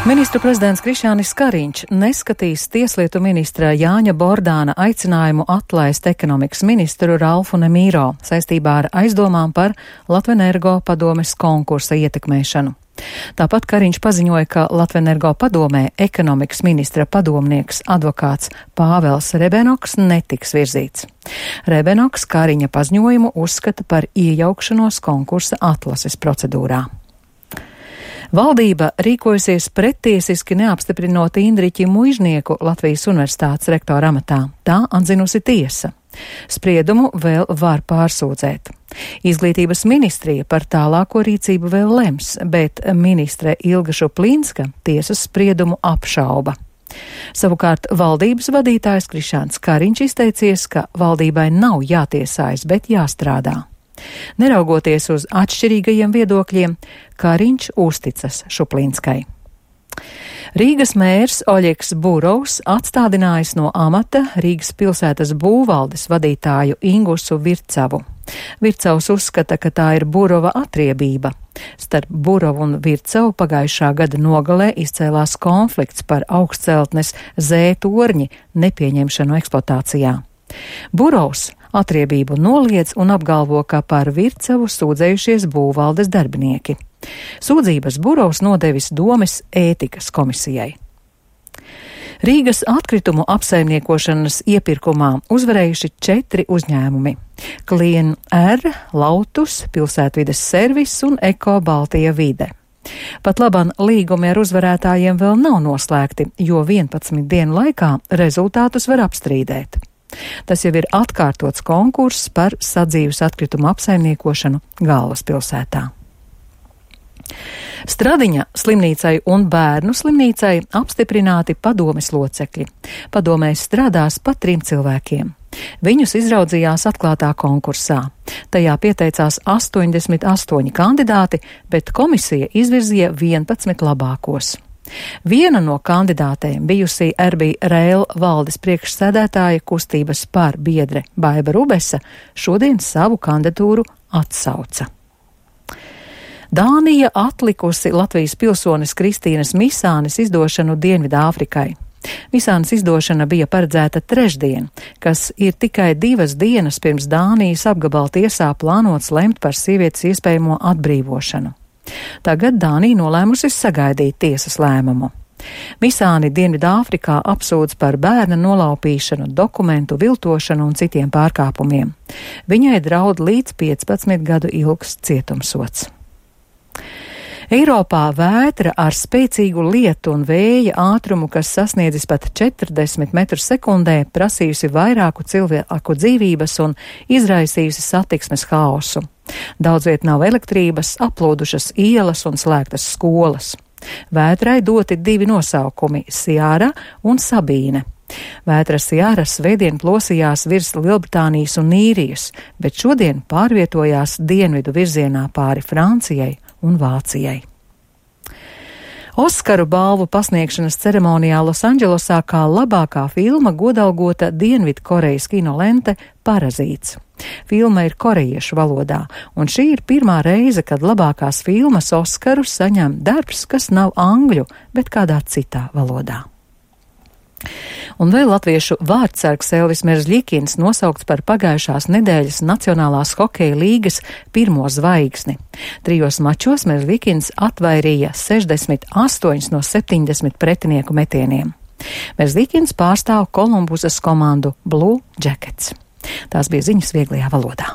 Ministru prezidents Krišjānis Kariņš neskatīs tieslietu ministra Jāņa Bordāna aicinājumu atlaist ekonomikas ministru Ralfu Nemīro saistībā ar aizdomām par Latvenergo padomes konkursa ietekmēšanu. Tāpat Kariņš paziņoja, ka Latvenergo padomē ekonomikas ministra padomnieks advokāts Pāvels Rebenoks netiks virzīts. Rebenoks Kariņa paziņojumu uzskata par iejaukšanos konkursa atlases procedūrā. Valdība rīkojusies prettiesiski neapstiprinot Indriķi Muižnieku Latvijas Universitātes rektora amatā. Tā atzinusi tiesa. Spriedumu vēl var pārsūdzēt. Izglītības ministrija par tālāko rīcību vēl lems, bet ministre Ilga Šuplīnska tiesas spriedumu apšauba. Savukārt valdības vadītājs Krišjānis Kariņš izteicies, ka valdībai nav jātiesājas, bet jāstrādā. Neraugoties uz atšķirīgajiem viedokļiem, Kariņš uzticas Šuplīnskai. Rīgas mērs Oļegs Burovs atstādinājis no amata Rīgas pilsētas būvvaldes vadītāju Ingusu Vircavu. Vircavs uzskata, ka tā ir Burova atriebība. Starp Burovu un Vircavu pagājušā gada nogalē izcēlās konflikts par augstceltnes Z torņi nepieņemšanu eksploatācijā. Burovs atriebību noliedz un apgalvo, ka par Vircavu sūdzējušies būvvaldes darbinieki. Sūdzības Burovs nodevis domes ētikas komisijai. Rīgas atkritumu apsaimniekošanas iepirkumā uzvarējuši 4 uzņēmumi – Klien R, Lautus, Pilsētvides servis un Eko Baltija vide. Pat laban līgumi ar uzvarētājiem vēl nav noslēgti, jo 11 dienu laikā rezultātus var apstrīdēt. Tas jau ir atkārtots konkurss par sadzīves atkritumu apsaimniekošanu galvaspilsētā. Stradiņa slimnīcai un bērnu slimnīcai apstiprināti padomes locekļi. Padomēs strādās pa 3 cilvēkiem. Viņus izraudzījās atklātā konkursā. Tajā pieteicās 88 kandidāti, bet komisija izvirzīja 11 labākos. Viena no kandidātēm bijusī RB Rail valdes priekšsēdētāja kustības par biedre Baiba Rubesa šodien savu kandidatūru atsauca. Dānija atlikusi Latvijas pilsones Kristīnas Misānes izdošanu Dienvidāfrikai. Misānes izdošana bija paredzēta trešdien, kas ir tikai 2 dienas pirms Dānijas apgabala tiesā plānots lemt par sievietes iespējamo atbrīvošanu. Tagad Dānija nolēmusi sagaidīt tiesas lēmumu. Misāni Dienvidāfrikā apsūdz par bērna nolaupīšanu, dokumentu viltošanu un citiem pārkāpumiem. Viņai draud līdz 15 gadu ilgs cietumsods. Eiropā vētra ar spēcīgu lietu un vēja ātrumu, kas sasniedzis pat 40 metrus sekundē, prasījusi vairāku cilvēku dzīvības un izraisījusi satiksmes haosu. Daudzviet nav elektrības, aplūdušas ielas un slēgtas skolas. Vētrai doti 2 nosaukumi – Siāra un Sabīne. Vētra Siāra svētdien plosījās virs Lielbritānijas un Īrijas, bet šodien pārvietojās dienvidu virzienā pāri Francijai un Vācijai. Oskaru balvu pasniegšanas ceremonijā Losandželosā kā labākā filma godalgota Dienvidkorejas kinolente Parazīts. Filma ir korejiešu valodā, un šī ir pirmā reize, kad labākās filmas Oskaru saņem darbs, kas nav angļu, bet kādā citā valodā. Un vēl latviešu vārdsargs Elvis Merzļikins nosaukts par pagājušās nedēļas Nacionālās hokeja līgas pirmo zvaigzni. 3 mačos Merzļikins atvairīja 68 no 70 pretinieku metieniem. Merzļikins pārstāv Kolumbusas komandu Blue Jackets. Tās bija ziņas vieglajā valodā.